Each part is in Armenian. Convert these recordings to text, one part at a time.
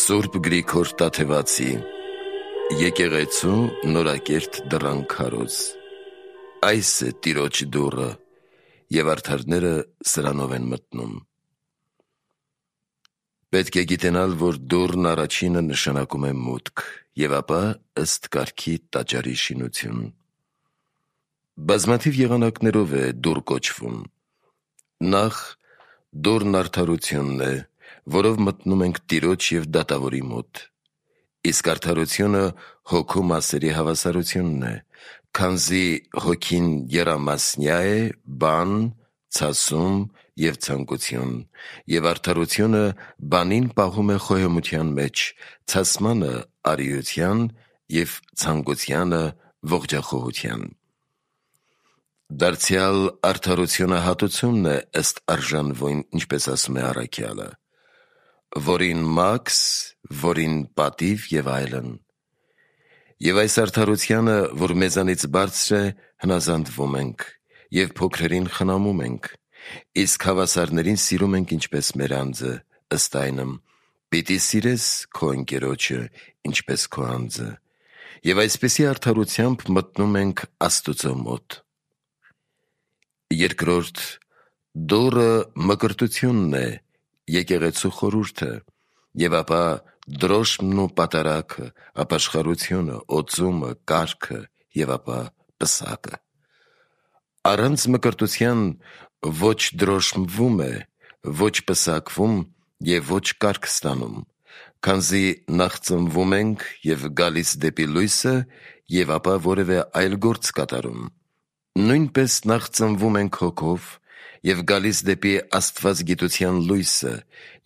Սուրբ Գրիգոր Տաթևացի Եկեղեցու նորակերտ դռան քարոզ։ Այս է Տիրոջ դուռը, և արդարները սրանով են մտնում։ Պետք է գիտենալ, որ դուռն առաջինը նշանակում է մուտք, և ապա ըստ կարգի տաճարի շինություն։ Բազմաթիվ եղանակներով է դուռ կոչվում։ Նախ դուռն արդարությունն է, որով մտնում ենք Տիրոջ և դատավորի մոտ։ Իսկ արդարությունը հոգու մասերի հավասարությունն է, քանզի հոգին եռամասնյա է, բան, ցասում և ցանկություն, և արդարությունը բանին պահում է խոհեմության մեջ, ցասմանը արիության և ցանկությանը ողջախոհության։ Դարձյալ արդարությունը հատուցումն է ըստ արժանվույն, ինչպես ասում է առաքյալը, որին մաքս, որին պատիվ և այլն։ Եվ այս արդարությանը, որ մեզանից բարձր է, հնազանդվում ենք, և փոքրերին խնամում ենք, իսկ հավասարներին սիրում ենք ինչպես մեր անձը, ըստ այնմ՝ պիտի սիրես քո ընկերոջը, ինչպես քո անձը, և այսպիսի արդարությամբ մտնում ենք Աստուծո մոտ։ Երկրորդ դուռը մկրտությունն է, եկեղեցու խորհուրդը, և ապա դրոշմն ու պատարագը, ապաշխարությունը, օծումը, կարգը, և ապա պսակը։ Առանց մկրտության ոչ դրոշմվում է, ոչ պսակվում և ոչ կարգ ստանում, քանզի նախ ծնվում ենք և գալիս դեպի լույսը, և ապա որևէ այլ գործ կատարում։ Նույնպես նախ ծնվում ենք հոգով և գալիս դեպի աստվածգիտության լույսը,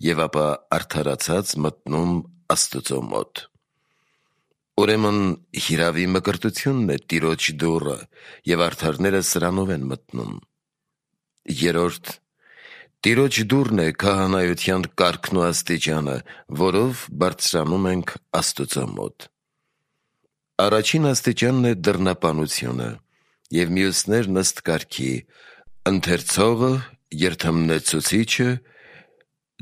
և ապա արդարացած մտնում Աստուծո մոտ։ Ուրեմն հիրավի մկրտությունն է Տիրոջ դուռը, և արդարները սրանով են մտնում։ Երրորդ Տիրոջ դուռն է քահանայության կարգն ու աստիճանը, որով բարձրանում ենք Աստուծո մոտ։ Առաջին աստիճանն է դռնապանությունը, և մյուսներն ըստ կարգի՝ ընթերցողը, երդմնեցուցիչը,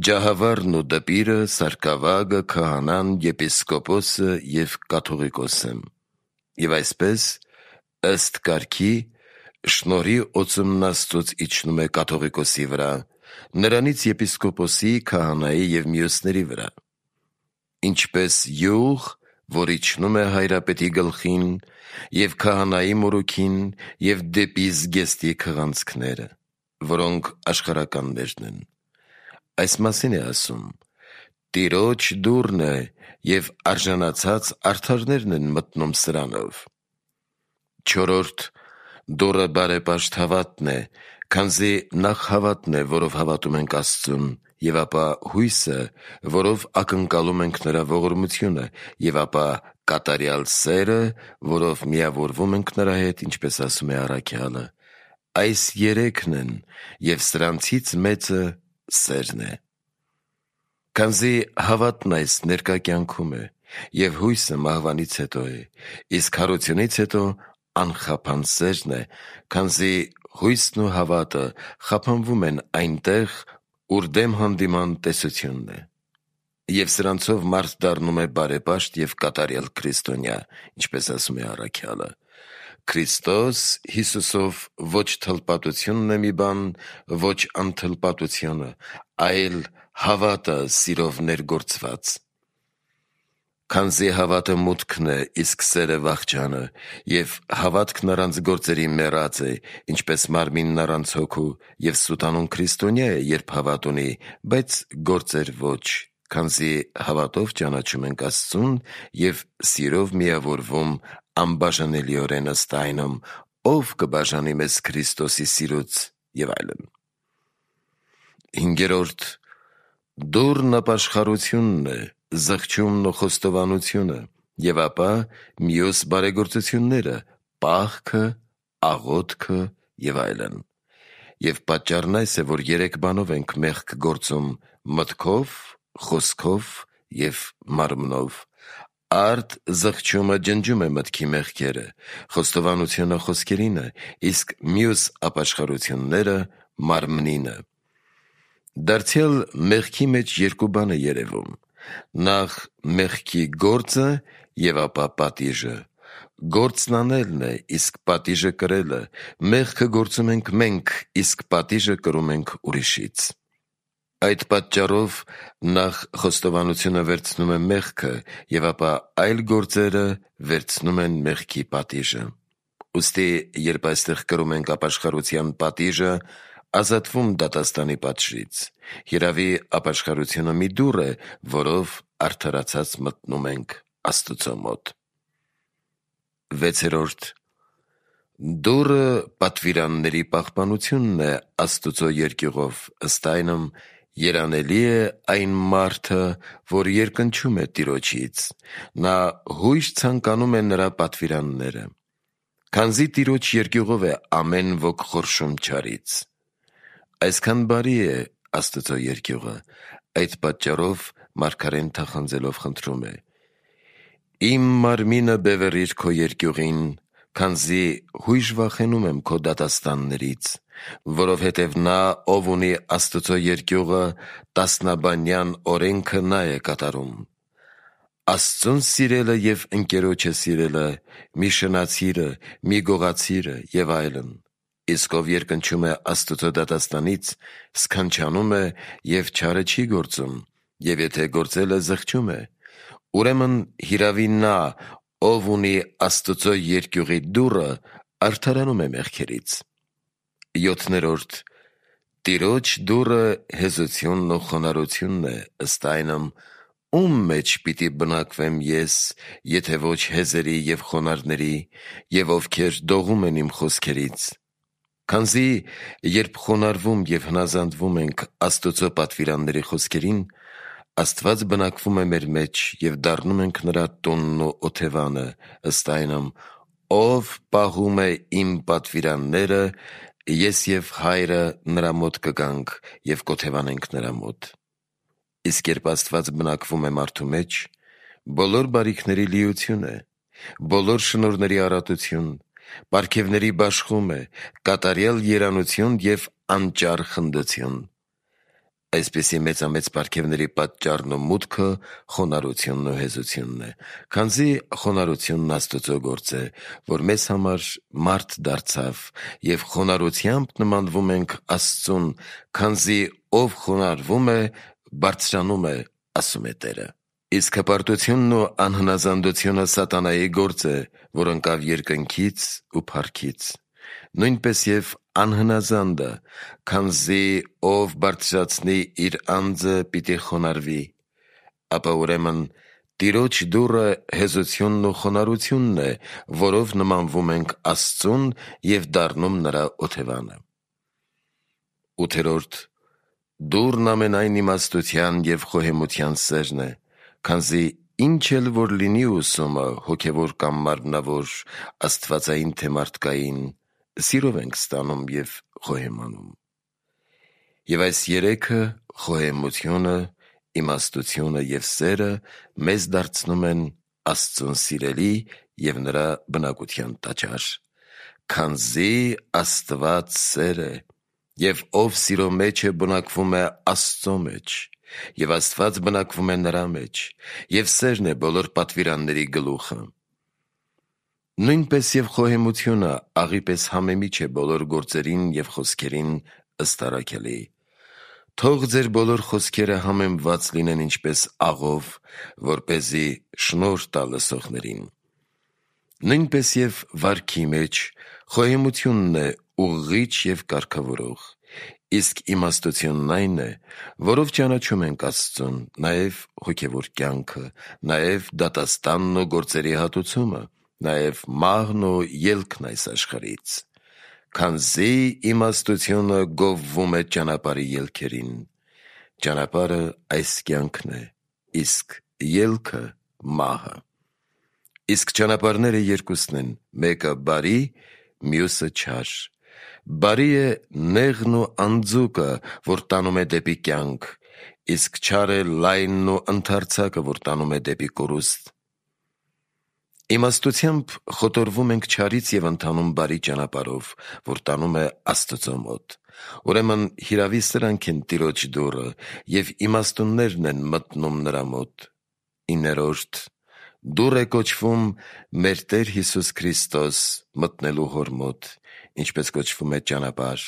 ջահավառն ու դպիրը, սարկավագը, քահանան, եպիսկոպոսը և կաթողիկոսը։ Եվ այսպես, ըստ կարգի, շնորհի օծումն Աստծուց իջնում է կաթողիկոսի վրա, նրանից եպիսկոպոսի, քահանայի և մյուսների վրա, ինչպես յուղ, որ իջնում է հայրապետի գլխին, և քահանայի մորուքին, և դեպի զգեստի քղանցքները, որոնք աշխարհականներն են։ Այս մասին է ասում. Տիրոջ դուռն է, և արժանացած արդարներն են մտնում սրանով։ Չորրորդ դուռը բարեպաշտ հավատն է, քանզի նախ հավատն է, որով հավատում ենք Աստծուն, և ապա հույսը, որով ակնկալում ենք նրա ողորմությունը, և ապա կատարյալ սերը, որով միավորվում ենք նրա հետ, ինչպես ասում է առաքյալը։ Այս երեքն են, և սրանցից մեծը սերն է։ Քանզի հավատն այս ներկա կյանքում է, և հույսը մահվանից հետո է, իսկ հարությունից հետո անխափան սերն է, քանզի հույսն ու հավատը խափանվում են այնտեղ, ուր դեմ հանդիման տեսությունն է։ Եվ սրանցով մարդ դառնում է բարեպաշտ և կատարյալ քրիստոնյա, ինչպես ասում է առաքյալը. Քրիստոս Հիսուսով ոչ թլպատությունն է մի բան, ոչ անթլպատությունը, այլ հավատը սիրով ներգործված։ Քանզի հավատը մուտքն է, իսկ սերը վախճանը, և հավատքն առանց գործերի մեռած է, ինչպես մարմինն առանց հոգու, և սուտանուն քրիստոնյա է, երբ հավատ ունի, բայց գործեր ոչ, քանզի հավատով ճանաչում ենք Աստծուն և սիրով միավորվում անբաժանելիորեն ըստ այնմ, ով կբաժանի մեզ Քրիստոսի սիրուց և այլն։ Հինգերորդ դուռն ապաշխարությունն է, զղջումն ու խոստովանությունը, և ապա մյուս բարեգործությունները, պահքը, աղոթքը և այլն։ Եվ պատճառն այս է, որ երեք բանով ենք մեղք գործում՝ մտքով, խոսքով և մարմնով։ Արդ զղջումը ջնջում է մտքի մեղքերը, խոստովանությունը խոսքերինը, իսկ մյուս ապաշխարությունները մարմնինը։ Դարձյալ մեղքի մեջ երկու բան է երևում. Նախ մեղքի գործը եւ ապա պատիժը։ Գործն անելն է, իսկ պատիժը կրելը։ Մեղքը գործում ենք մենք, իսկ պատիժը կրում ենք ուրիշից։ Այդ պատճառով նախ խոստովանությունը վերցնում է մեղքը եւ ապա այլ գործերը վերցնում են մեղքի պատիժը։ Ուստի երբ այստեղ կրում ենք ապաշխարության պատիժը, ազատվում դատաստանի պատժից։ Երևի ապաշխարությունը մի դուռ է, որով արդարացած մտնում ենք Աստծո մոտ։ 6. Դուռը պատվիրանների պահպանությունն է Աստծո երկյուղով, ըստ այնմ երանելի է այն մարդը, որ երկնչում է Տիրոջից, նա հույժ ցանկանում է նրա պատվիրանները, քանզի Տիրոջ երկյուղով է ամեն ոք խորշում չարից։ Այսքան բարի է Աստծո երկյուղը, այդ պատճառով մարգարեն թախանձելով խնդրում է. «Իմ մարմինը բևեռիր քո երկյուղին, քանզի հույժ վախենում եմ քո դատաստաններից, որովհետև նա, ով ունի Աստծո երկյուղը, տասնաբանյան օրենքը նա է կատարում։ Աստծուն սիրելը և ընկերոջը սիրելը, մի շնացիրը, մի գողացիրը և այլն։ Իսկ ով երկնչում է Աստծո դատաստանից, սքանչանում է և չարը չի գործում, և եթե գործել է, զղջում է։ Ուրեմն հիրավի նա, ով ունի Աստծո երկյուղի դուռը, արդարանում է մեղքերից»։ 7. Տիրոջ դուռը հեզությունն ու խոնարհությունն է, ըստ այնմ ում մեջ պիտի բնակվեմ ես, եթե ոչ հեզերի և խոնարհների, և ովքեր դողում են իմ խոսքերից։ Քանզի երբ խոնարհվում և հնազանդվում ենք Աստծո պատվիրանների խոսքերին, Աստված բնակվում է մեր մեջ և դառնում ենք նրա տունն ու օթևանը, ըստ այնմ ով պահում է իմ պատվիրանները, ես և Հայրը նրա մոտ կգանք և կօթևանենք նրա մոտ։ Իսկ երբ Աստված բնակվում է մարդու մեջ, բոլոր բարիքների լիություն է, բոլոր շնորհների առատություն, պարգևների բաշխում է, կատարյալ երանություն և անճար խնդություն։ Այսպիսի մեծամեծ պարգևների պատճառն ու մուտքը խոնարհությունն ու հեզությունն է, քանզի խոնարհությունն Աստծո գործ է, որ մեզ համար մարդ դարձավ, և խոնարհությամբ նմանվում ենք Աստծուն, քանզի ով խոնարհվում է, բարձրանում է, ասում է Տերը։ Իսկ հպարտությունն ու անհնազանդությունը սատանայի գործ է, որ ընկավ երկնքից ու փառքից։ Նույնպես և անհնազանդը, քանզի ով բարձրացնի իր անձը, պիտի խոնարհվի։ Ապա ուրեմն Տիրոջ դուռը հեզությունն ու խոնարհությունն է, որով նմանվում ենք Աստծուն և դառնում նրա օթևանը։ 8. Դուռն ամենայն իմաստության և խոհեմության սերն է, քանզի ինչ էլ որ լինի ուսումը, հոգևոր կամ մարմնավոր, աստվածային թե մարդկային, սիրով ենք ստանում և խոհեմանում։ Եվ այս երեքը՝ խոհեմությունը, իմաստությունը և սերը, մեզ դարձնում են Աստծուն սիրելի և նրա բնակության տաճար։ Քանզի Աստված սեր է, և ով սիրո մեջ է, բնակվում է Աստծո մեջ, և Աստված բնակվում է նրա մեջ, և սերն է բոլոր պատվիրանների գլուխը։ Նույնպես և խոհեմությունը աղի պես համեմիջ է բոլոր գործերին և խոսքերին ըստ առաքելի։ Թող ձեր բոլոր խոսքերը համեմված լինեն ինչպես աղով, որպեսզի շնորհ տա լսողներին։ Նույնպես և վարքի մեջ խոհեմությունն է ուղղիչ և կարգավորող, իսկ իմաստությունն այն է, որով ճանաչում ենք Աստծուն, նաև հոգևոր կյանքը, նաև դատաստանն ու գործերի հատուցումը, նաև մահն ու ելքն այս աշխարհից։ Քանզի իմաստությունը գովվում է ճանապարհի ելքերին։ Ճանապարհը այս կյանքն է, իսկ ելքը մահը։ Իսկ ճանապարհները երկուսն են, մեկը բարի, մյուսը չար։ Բարի է նեղն ու անձուկը, որ տանում է դեպի կյանք, իսկ չար է լայնն ու ընդարձակը, որ տանում է դեպի կորուստ։ Իմաստությամբ խոտորվում ենք չարից և ընթանում բարի ճանապարհով, որ տանում է Աստծո մոտ։ Ուրեմն հիրավի սրանք են Տիրոջ դուռը, և իմաստուններն են մտնում նրա մոտ։ 9. Դուռ է կոչվում մեր Տեր Հիսուս Քրիստոս մտնելու Հոր մոտ, ինչպես կոչվում է ճանապարհ,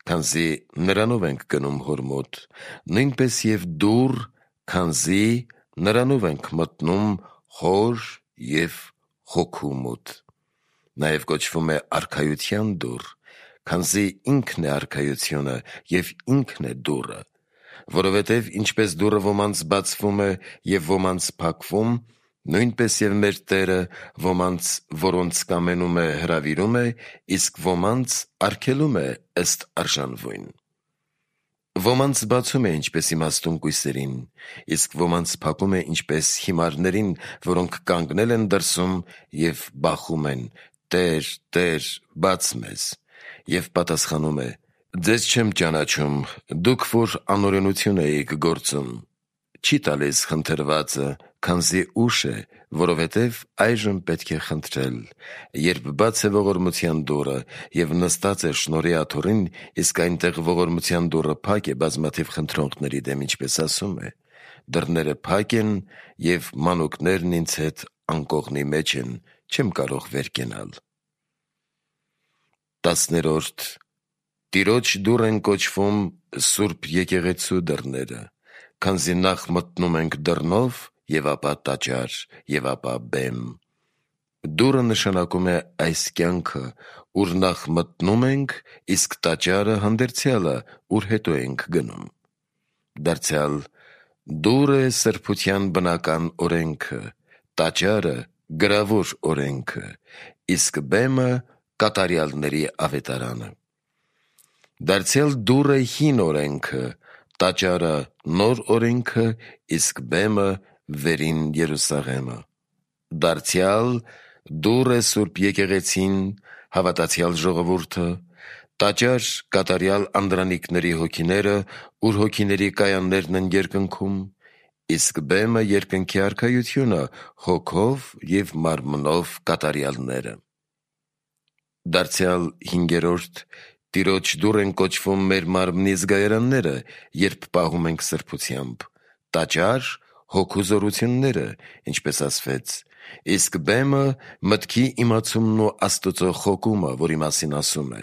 քանզի նրանով ենք գնում Հոր մոտ, նույնպես և դուռ, քանզի նրանով ենք մտնում Հոր և Հոգու մոտ։ Նաև կոչվում է արքայության դուռ, քանզի ինքն է արքայությունը և ինքն է դուռը, որովհետև ինչպես դուռը ոմանց բացվում է և ոմանց փակվում, նույնպես և մեր Տերը ոմանց, որոնց կամենում է, հրավիրում է, իսկ ոմանց արգելում է ըստ արժանվույն։ Ոմանց բացում է ինչպես իմաստուն կույսերին, իսկ ոմանց փակում է ինչպես հիմարներին, որոնք կանգնել են դրսում և բախում են. «Տե՛ր, Տե՛ր, բաց մեզ»։ Եվ պատասխանում է. «Ձեզ չեմ ճանաչում, դուք որ անօրենություն էիք գործում»։ Չի տալիս խնդրվածը, քանզի ուշ է, որովհետև այժմ պետք է խնդրել։ Երբ բաց է ողորմության դուռը և նստած է շնորհի աթոռին, իսկ այնտեղ ողորմության դուռը փակ է բազմաթիվ խնդրողների դեմ, ինչպես ասում է. «Դռները փակ են, և մանուկներն ինձ հետ անկողնի մեջ են, չեմ կարող վեր կենալ»։ 10. Տիրոջ դուռ են կոչվում Սուրբ Եկեղեցու դռները, քանզի նախ մտնում ենք դռնով, և ապա տաճար, և ապա բեմ։ Դուռը նշանակում է այս կյանքը, ուր նախ մտնում ենք, իսկ տաճարը հանդերձյալը, ուր հետո ենք գնում։ Դարձյալ դուռը է սրբության բնական օրենքը, տաճարը գրավոր օրենքը, իսկ բեմը կատարյալների ավետարանը։ Դարձյալ դուռը հին օրենքը, տաճարը նոր օրենքը, իսկ բեմը վերին Երուսաղեմը։ Դարձյալ դուռ է Սուրբ Եկեղեցին, հավատացյալ ժողովուրդը, տաճար կատարյալ անդրանիկների հոգիները, ուր հոգիների կայաններն են երկնքում, իսկ բեմը երկնքի արքայությունը, հոգով և մարմնով կատարյալները։ Դարձյալ 5. Տիրոջ դուռ են կոչվում մեր մարմնի զգայարանները, երբ պահում ենք սրբությամբ, տաճար հոգու զորությունները, ինչպես ասվեց, իսկ բեմը մտքի իմացումն ու Աստծո խոկումը, որի մասին ասում է.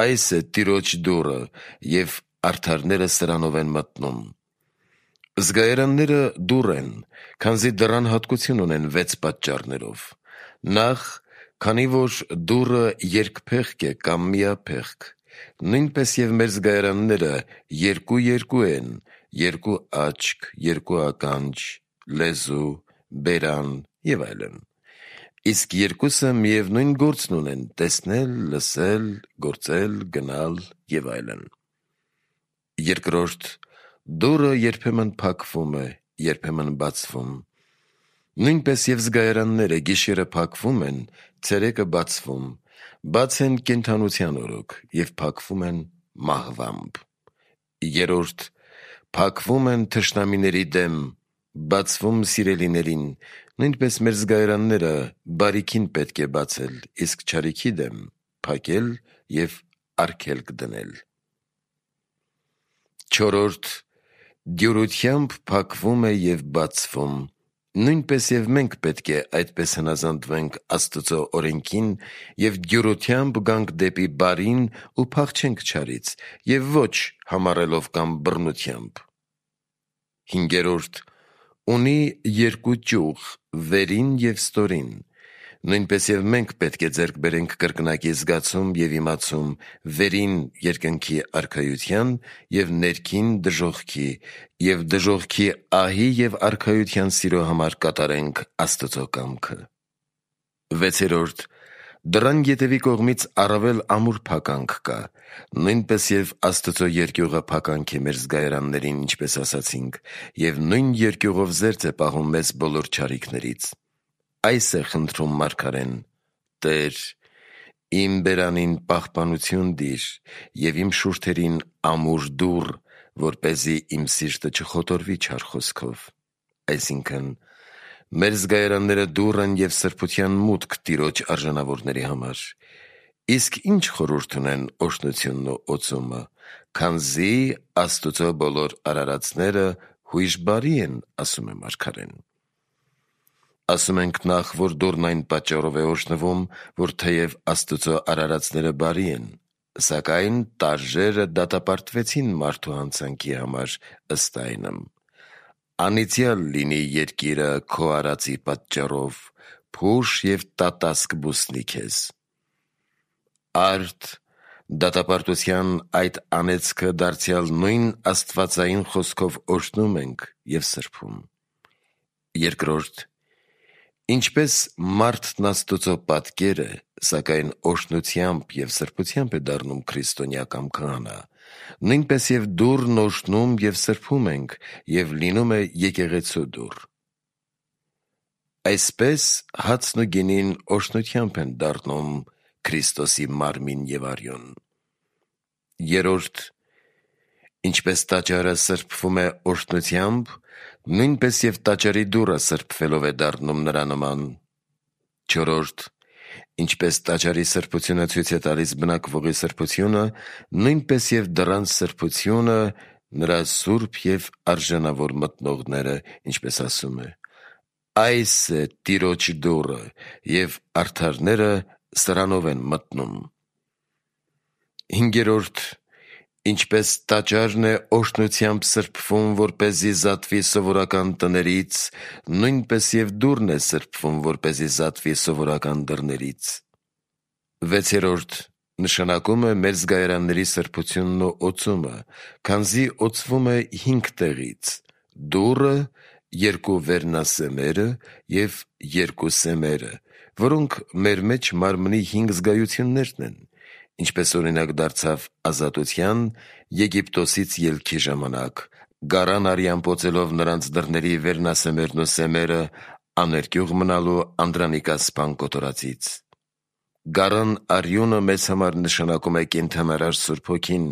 «Այս է Տիրոջ դուռը, և արդարները սրանով են մտնում»։ Զգայարանները դուռ են, քանզի դռան հատկություն ունեն 6 պատճառներով։ Նախ, քանի որ դուռը երկփեղկ է կամ միափեղկ, նույնպես և մեր զգայարանները երկու են, 2 աչք, 2 ականջ, լեզու, բերան և այլն, իսկ երկուսը միևնույն գործն ունեն՝ տեսնել, լսել, գործել, գնալ և այլն։ 2. Դուռը երբեմն փակվում է, երբեմն բացվում։ Նույնպես և զգայարանները գիշերը փակվում են, ցերեկը բացվում, բաց են կենդանության օրոք և փակվում են մահվամբ։ 3. Փակվում են թշնամիների դեմ, բացվում սիրելիներին, նույնպես մեր զգայարանները բարիքին պետք է բացել, իսկ չարիքի դեմ փակել և արգելք դնել։ 4. Դյուրությամբ փակվում է և բացվում, նույնպես և մենք պետք է այդպես հնազանդվենք Աստծո օրենքին և դյուրությամբ գանք դեպի բարին ու փախչենք չարից, և ոչ համառելով կամ բռնությամբ։ 5. Ունի 2 ճյուղ՝ վերին և ստորին, նույնպես և մենք պետք է ձեռք բերենք կրկնակի զգացում և իմացում վերին երկնքի արքայության և ներքին դժոխքի, և դժոխքի ահի և արքայության սիրո համար կատարենք Աստծո կամքը։ 6. Դռան ետևի կողմից առավել ամուր փականք կա, նույնպես և Աստծո երկյուղը փականք է մեր զգայարաններին, ինչպես ասացինք, և նույն երկյուղով զերծ է պահում մեզ բոլոր չարիքներից։ Այս է խնդրում մարգարեն. «Տե՛ր, իմ բերանին պահպանություն դիր և իմ շուրթերին ամուր դուռ, որպեսզի իմ սիրտը չխոտորվի չար խոսքով»։ Այսինքն, Մեր զգայարանները դուռ են և սրբության մուտք Տիրոջ արժանավորների համար։ Իսկ ինչ խորհուրդ ունեն օրհնությունն ու օծումը, քանզի Աստուծո բոլոր արարածները հույժ բարի են, ասում է մարգարեն։ Ասում ենք նախ, որ դուռն այն պատճառով է օրհնվում, որ թեև Աստուծո արարածները բարի են, սակայն տարրերը դատապարտվեցին մարդու հանցանքի համար ըստ այնմ։ Անիծյալ լինի երկիրը քո արածի պատճառով, փուշ և տատասկ բուսնի քեզ։ Արդ դատապարտության այդ անեծքը դարձյալ նույն աստվածային խոսքով օրհնում ենք և սրբում։ Երկրորդ, ինչպես մարդն Աստուծո պատկեր է, սակայն օրհնությամբ և սրբությամբ է դառնում քրիստոնյա կամ քահանա, նույնպես և դուռն օրհնում և սրբում ենք և լինում է եկեղեցու դուռ։ Այսպես հացն ու գինին օրհնությամբ են դառնում Քրիստոսի մարմին և արյուն։ Երրորդ, ինչպես տաճարը սրբվում է օրհնությամբ, նույնպես և տաճարի դուռը սրբվելով է դառնում նրա նման։ Չորրորդ, ինչպես տաճարի սրբությունը ցույց է տալիս բնակվողի սրբությունը, նույնպես և դռան սրբությունը նրա սուրբ և արժանավոր մտնողները, ինչպես ասում է. «Այս է Տիրոջ դուռը, և արդարները սրանով են մտնում»։ Հինգերորդ, ինչպես տաճարն է օրհնությամբ սրբվում, որպեսզի զատվի սովորական տներից, նույնպես և դուռն է սրբվում, որպեսզի զատվի սովորական դռներից։ Վեցերորդ, նշանակում է մեր զգայարանների սրբությունն ու օծումը, քանզի օծվում է 5 տեղից՝ դուռը, 2 վերնասեմերը և 2 սեմերը, որոնք մեր մեջ մարմնի 5 զգայություններն են, ինչպես օրինակ դարձավ ազատության, Եգիպտոսից ելքի ժամանակ, գարան արյան պոծելով նրանց դռների վերնասեմերն ու սեմերը, աներկյուղ մնալու Անդրանիկա սպան կոտորածից։ Գարան արյունը մեզ համար նշանակում է կենդանարար Սուրբ Հոգին,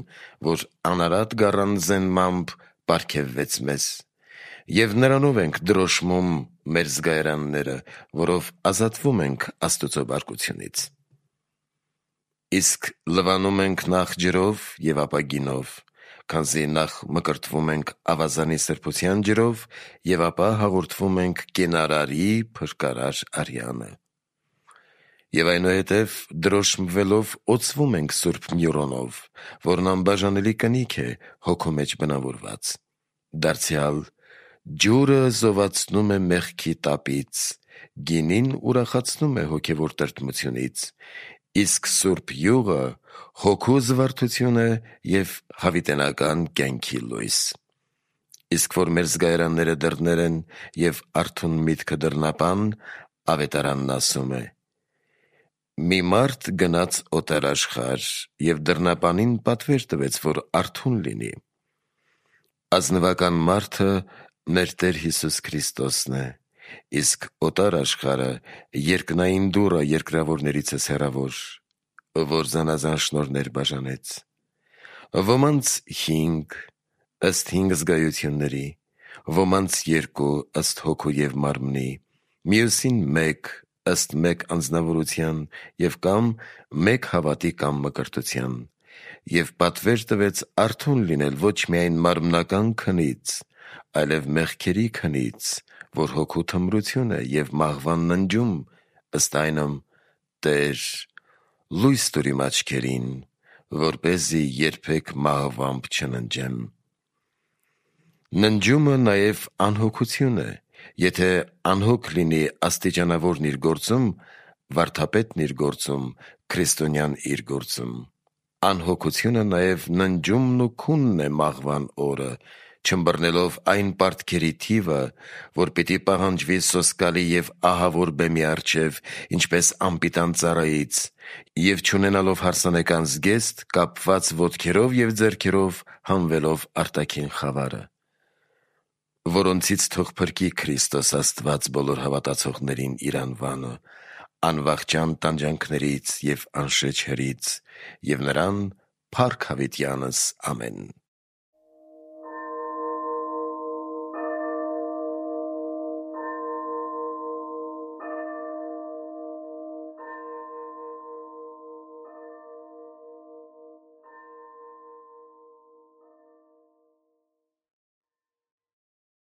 որ անարատ գառան զենմամբ պարգևվեց մեզ, և նրանով ենք դրոշմում մեր զգայարանները, որով ազատվում ենք Աստուծո բարկությունից։ Իսկ լվանում ենք նախ ջրով և ապա գինով, քանզի նախ մկրտվում ենք ավազանի սրբության ջրով և ապա հաղորդվում ենք կենարարի փրկարար արյանը։ Եվ այնուհետև դրոշմվելով օծվում ենք Սուրբ Միրոնով, որն անբաժանելի կնիք է հոգու մեջ բնավորված։ Դարձյալ ջուրը զովացնում է մեղքի տապից, գինին ուրախացնում է հոգևոր տրտմությունից, իսկ Սուրբ Յուղը հոգու զվարթություն է և հավիտենական կյանքի լույս։ Իսկ որ մեր զգայարանները դռներ են և արթուն միտքը դռնապան, Ավետարանն ասում է. «Մի մարդ գնաց օտարաշխար և դռնապանին պատվեր տվեց, որ արթուն լինի»։ Ազնվական մարդը մեր Տեր Հիսուս Քրիստոսն է, իսկ օտար աշխարհը երկնային դուռը երկրավորներիցս հեռավոր, որ զանազան շնորհներ բաժանեց։ Ոմանց 5, ըստ 5 զգայությունների, ոմանց 2, ըստ հոգու և մարմնի, մյուսին 1, ըստ մեկ անձնավորության և կամ մեկ հավատի կամ մկրտության, և պատվեր տվեց արթուն լինել ոչ միայն մարմնական քնից, այլև մեղքերի քնից, որ հոգու թմրություն է, և մահվան ննջում, ըստ այնմ. «Տե՛ր, լույս տուր իմ աչքերին, որպեսզի երբեք մահվամբ չննջեմ»։ Ննջումը նաև անհոգություն է։ Եթե անհոգ լինի աստիճանավորն իր գործում, վարդապետն իր գործում, քրիստոնյան իր գործում։ Անհոգությունը նաև ննջումն ու քունն է մահվան օրը, չըմբռնելով այն պարտքերի թիվը, որ պիտի պահանջվի սոսկալի և ահավոր բեմի առջև, ինչպես անպիտան ծառայից, և չունենալով հարսանեկան զգեստ, կապված ոտքերով և ձեռքերով հանվելով արտաքին խավարը, որոնցից թող փրկի Քրիստոս Աստված բոլոր հավատացողներին իր անվանը, անվախճան տանջանքներից և անշեջ հրից, և նրան փառք հավիտյանս։ Ամեն։